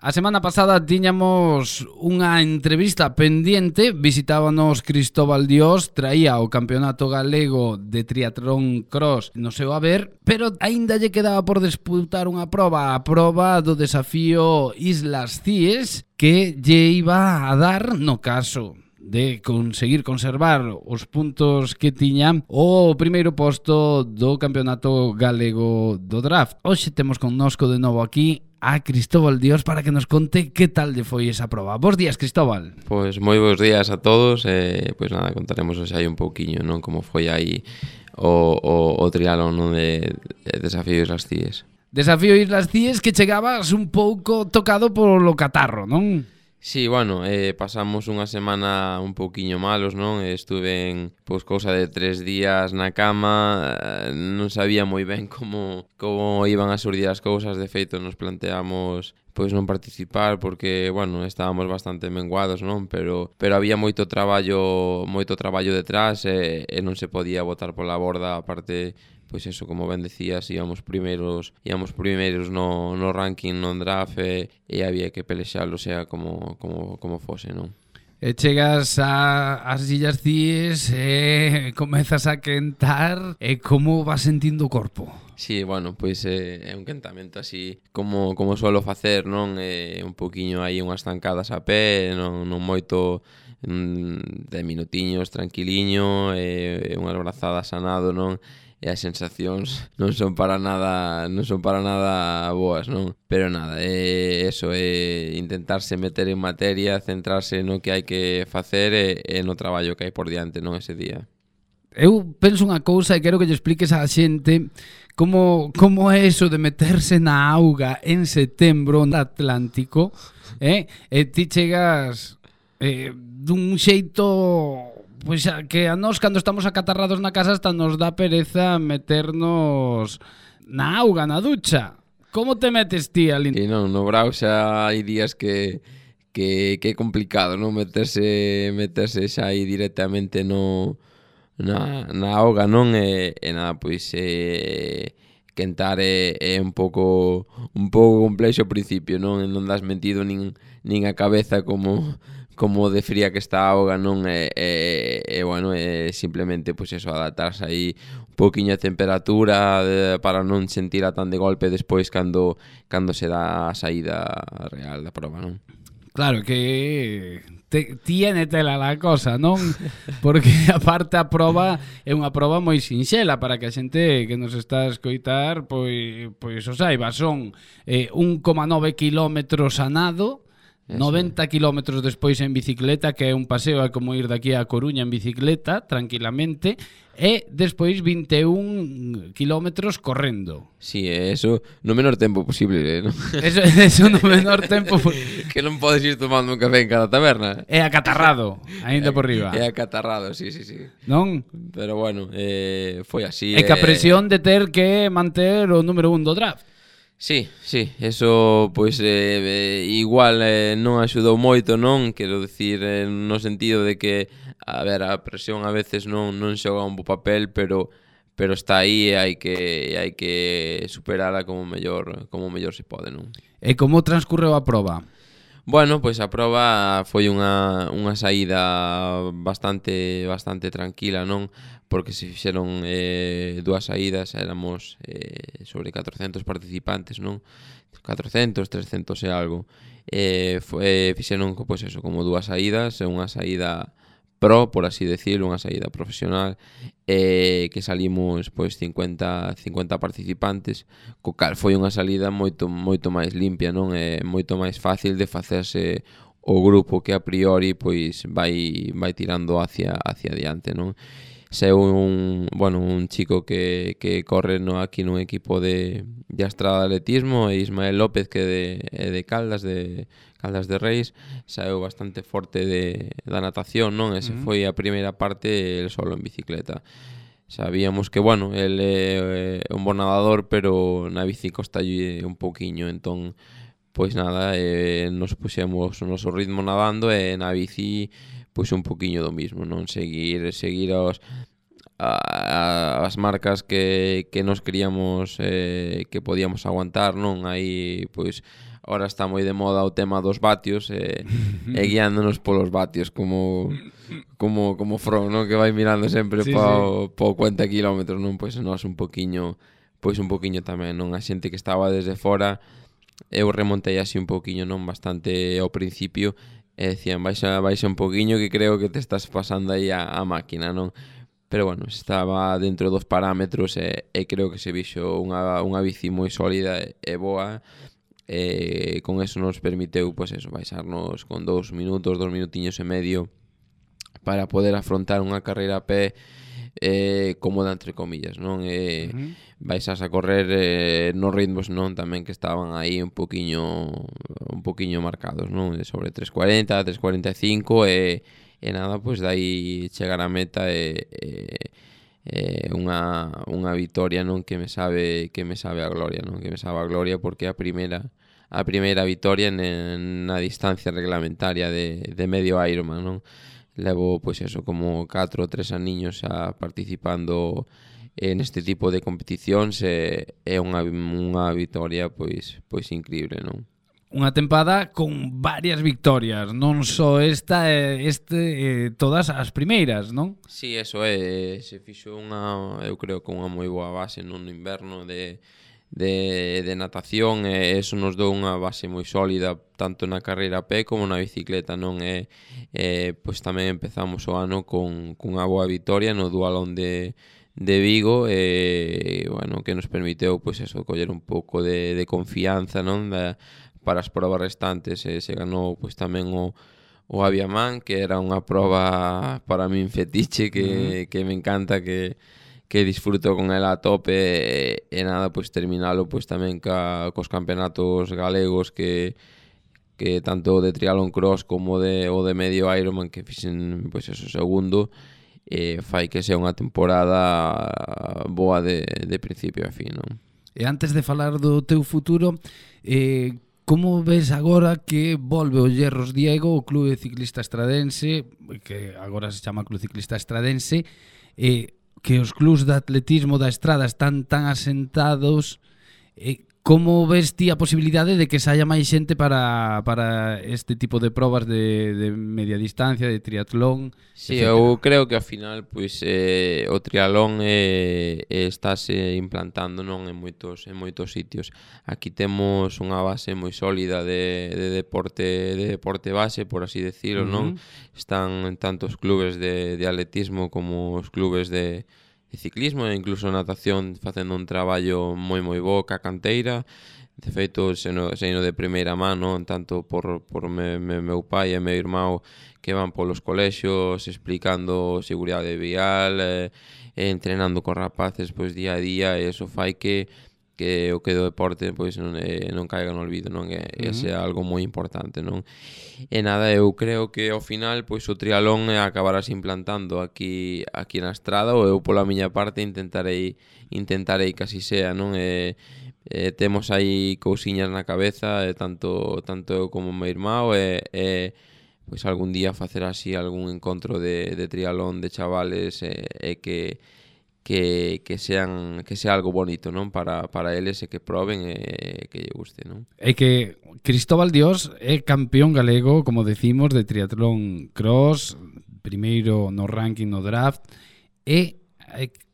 A semana pasada tiñamos unha entrevista pendiente, visitábanos Cristóbal Dios, traía o Campeonato Galego de Triatlón Cross no seu haber, pero aínda lle quedaba por disputar unha proba, a proba do desafío Islas Cíes, que lle iba a dar, no caso de conseguir conservar os puntos que tiña, o primeiro posto do Campeonato Galego do Draft. Hoxe temos connosco de novo aquí a Cristóbal Dios para que nos conte que tal lle foi esa proba. Bos días, Cristóbal. Pois moi bons días a todos. Pois nada, contaremos hoxe aí un pouquiño, non, como foi aí o triatlón, non, de Desafío Islas Cíes. Desafío Islas Cíes, que chegabas un pouco tocado polo catarro, non? Sí, bueno, pasamos unha semana un pouquiño malos, non? Estuve pois cousa de 3 días na cama, non sabía moi ben como iban a surdir as cousas. De feito, nos planteamos pois non participar porque, bueno, estábamos bastante menguados, non? Pero había moito traballo detrás e non se podía botar pola borda. Aparte, pois eso, como ben decías, íamos primeiros no ranking, non draft, e había que pelexalo, sea como fose, non? E chegas ás Illas Cíes e comezas a quentar, e como vas sentindo o corpo? Sí, bueno, pois é un quentamento así como suelo facer, non? Un pouquiño aí unhas zancadas a pé, non moito, 10 minutiños tranquiliño, unhas brazadas a nado, non? E as sensacións non son para nada boas, non? Pero nada, eso, intentarse meter en materia, centrarse no que hai que facer e no traballo que hai por diante, non, ese día. Eu penso unha cousa e quero que lle expliques á xente como é eso de meterse na auga en setembro no Atlántico, e ti chegas dun xeito, pois que a nós cando estamos acatarrados na casa hasta nos dá pereza meternos na auga, na ducha. Como te metes ti ali? E non, no Brao xa hai días que é complicado, non, meterse xa aí directamente na auga, non? E nada, pois quentar é un pouco complexo ao principio, non? Non das metido nin a cabeza como de fría que está a auga, non? Bueno, simplemente pois eso, adaptarse aí un pouquiño a temperatura para non sentira tan de golpe despois cando se dá a saída real da proba, non? Claro que tiene tela la cosa, non? Porque aparte a proba é unha proba moi sinxela para que a xente que nos está a escoitar pois o saiba. Son 1,9 kilómetros a nado, 90 kilómetros despois en bicicleta, que é un paseo, é como ir daqui a Coruña en bicicleta, tranquilamente, e despois 21 kilómetros correndo. Sí, eso no menor tempo posible, non? Eso no menor tempo. Que non podes ir tomando un café en cada taberna. É acatarrado, aínda por riba. É acatarrado, sí. Non? Pero bueno, foi así. É que a presión de ter que manter o número 1 do draft. Sí, eso pois igual non axudou moito, non? Quero dicir, no sentido de que, a ver, a presión a veces non xoga un bo papel, pero está aí e hai que superala como mellor se pode, non? E como transcurreu a proba? Bueno, pois a proba foi unha saída bastante tranquila, non? Porque se fixeron 2 saídas, éramos sobre 400 participantes, non? 400, 300 e algo. Fixeron, pois eso, como 2 saídas, unha saída pro, por así decirlo, unha saída profesional, que salimos pois 50 participantes, co cal foi unha salida moito máis limpia, non? É moito máis fácil de facerse o grupo que a priori pois vai tirando hacia diante, non? Seu un chico que corre aquí nun equipo de Estrada de Atletismo, e Ismael López, que é de Caldas de Reis, saeu bastante forte da natación, non? Ese foi a primeira parte, el solo en bicicleta. Sabíamos que, bueno, el é un bon nadador, pero na bici costalle un pouquiño, entón, pois nada, nos puxemos o noso ritmo nadando, e na bici pois un poquinho do mismo, non? Seguir as marcas que nos queríamos que podíamos aguantar, non? Aí pois Ahora está moi de moda o tema dos vatios e guiándonos polos vatios como Frodo, non? Que vai mirando sempre po 40 kilómetros, non? Pois nós un poquinho tamén, non? A xente que estaba desde fora, eu remontei así un poquinho, non? Bastante ao principio, e decían, baixa un poquinho que creo que te estás pasando aí a máquina, non? Pero bueno, estaba dentro dos parámetros e creo que se vixo unha bici moi sólida e boa. Con eso nos permiteu, pois eso, baixarnos con 2 minutiños e medio para poder afrontar unha carreira a pé cómoda, entre comillas, non? Baixas a correr nos ritmos, non? Tamén que estaban aí un poquinho marcados, non? Sobre 3.40, 3.45 e nada, pois dai chegar a meta unha vitoria, non? Que me sabe a gloria, non? Que me sabe a gloria porque a primeira vitoria na distancia reglamentaria de medio Ironman, non? Levo, pois eso, como 4 ou 3 aniños participando neste tipo de competicións e é unha vitoria pois increíble, non? Unha tempada con varias victorias, non só esta todas as primeiras, non? Sí, eso se fixo eu creo que unha moi boa base no inverno de natación e eso nos dou unha base moi sólida tanto na carreira a pé como na bicicleta, non? Pois tamén empezamos o ano con unha boa vitoria no Dualón de Vigo bueno, que nos permiteu pois eso, coller un pouco de confianza, non? Para as probas restantes se ganou pois tamén o Aviaman, que era unha proba para min fetiche que me encanta, que disfruto con ela a tope e nada, pois terminalo pois tamén cos campeonatos galegos que tanto de triatlón cross como o de medio Ironman que fixen pois eso segundo fai que sea unha temporada boa de principio a fin, non? E antes de falar do teu futuro, como ves agora que volve o Hierros Diego, o Clube Ciclista Estradense, que agora se chama Clube Ciclista Estradense, que os clubs de atletismo da estrada están tan asentados, como ves ti a posibilidade de que saia máis xente para este tipo de probas de media distancia, de triatlón? Sí, eu creo que ao final pois o triatlón estáse implantando, non, en moitos sitios. Aquí temos unha base moi sólida de deporte base, por así decirlo, non? Están tanto os clubes de atletismo como os clubes de ciclismo e incluso natación facendo un traballo moi bo ca canteira. De feito, seno de primeira mano, tanto por meu pai e meu irmão que van polos colexios explicando seguridade vial entrenando cos rapaces pois día a día, e iso fai que o que do deporte pois non caiga no olvido, non? Ese é algo moi importante, non? E nada, eu creo que ao final pois o triatlón acabarás implantando aquí na estrada, ou eu pola miña parte intentarei que así sea, non? Temos aí cousiñas na cabeza, tanto eu como o meu irmão pois algún día facer así algún encontro de triatlón de chavales que sea algo bonito, non? Para eles e que proben e que lle guste, non? É que Cristóbal Dios é campeón galego, como decimos, de triatlón cross, primeiro no ranking no draft, e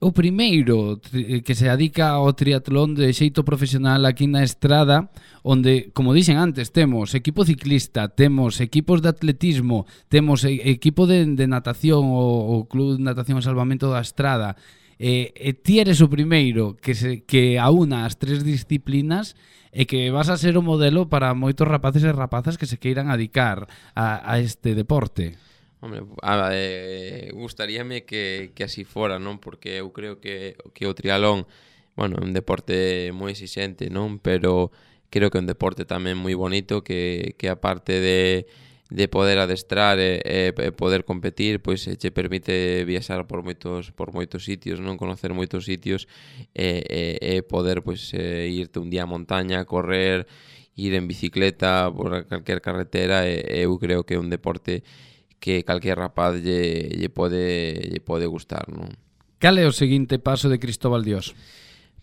o primeiro que se dedica ao triatlón de xeito profesional aquí na estrada, onde, como dixen antes, temos equipo ciclista, temos equipos de atletismo, temos equipo de natación, o Club de Natación e Salvamento da Estrada, e ti eres o primeiro que aúna as tres disciplinas e que vas a ser o modelo para moitos rapaces e rapazas que se queiran dedicar a este deporte. Hombre, gustaríame que así fora, non? Porque eu creo que o triatlón, bueno, é un deporte moi exixente, non? Pero creo que é un deporte tamén moi bonito que aparte de poder adestrar e poder competir, pois che permite viaxar por moitos sitios, non? Conocer moitos sitios e poder pois irte un día a montaña, correr, ir en bicicleta por calquer carretera, e eu creo que é un deporte que calquer rapaz lle pode gustar, non? Cal é o seguinte paso de Cristóbal Dios?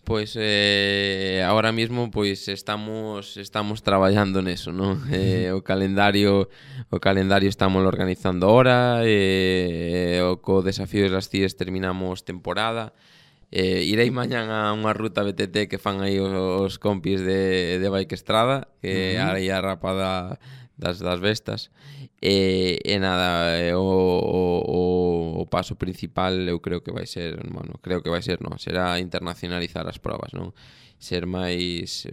Pois ahora mismo pois estamos traballando neso, non? O calendario estamos organizando ahora, co desafío das CIES terminamos temporada. Irei mañán a unha ruta BTT que fan aí os compis de Bike Estrada, que aí a rapada das bestas. E nada, o paso principal eu creo que vai ser, será internacionalizar as probas, non? Ser máis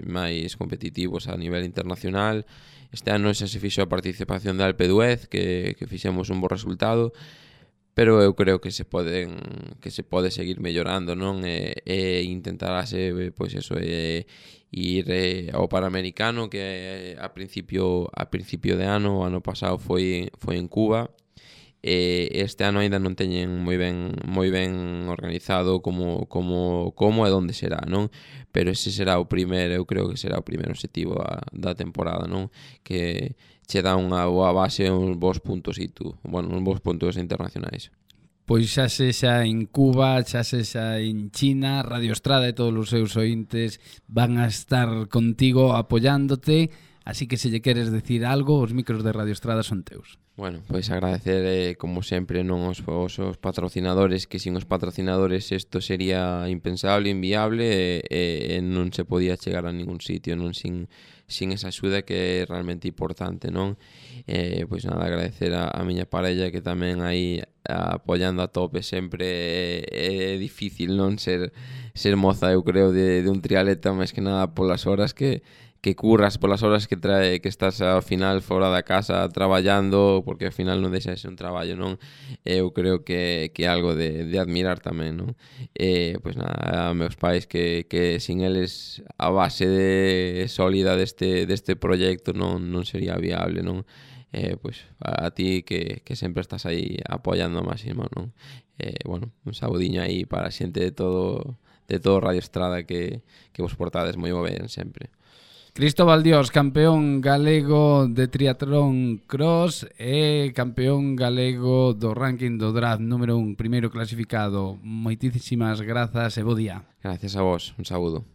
competitivos a nivel internacional. Este ano xa se fixo a participación de Alpe d'Huez, que fixemos un bo resultado, pero eu creo que se pode seguir mellorando, non? E intentarase, pois eso, ir ao Panamericano, que a principio de ano, o ano pasado foi en Cuba. Este ano ainda non teñen moi ben organizado como e onde será, non? Pero ese será o primeiro, eu creo que será o primeiro objetivo da temporada, non? Que che dá unha boa base, uns bons puntos internacionais. Pois xa sexa en Cuba, xa sexa en China, Radio Estrada e todos os seus ointes van a estar contigo apoiándote, así que se lle queres decir algo, os micros de Radio Estrada son teus. Bueno, pois agradecer, como sempre, non os patrocinadores, que sin os patrocinadores isto sería impensable, inviable, e non se podía chegar a ningún sitio, non sin esa axuda que é realmente importante, non? Pois nada, agradecer a miña parella, que tamén aí apoiando a tope sempre. É difícil non ser moza, eu creo, de un triatleta, máis que nada polas horas que curras, polas horas que estás ao final fora da casa traballando, porque ao final non deixa de ser un traballo, non? Eu creo que é algo de admirar tamén, non? Pois nada, a meus pais, que sin eles a base sólida deste proxecto non sería viable, non? Pois a ti que sempre estás aí apoiando ao máximo, non? Bueno, un saudiño aí para a xente de todo Radio Estrada, que vos portades moi ben sempre. Cristóbal Dios, campeón galego de triatlón cross e campeón galego do ranking do draft número 1, primeiro clasificado. Moitísimas grazas e bo día. Gracias a vos, un saúdo.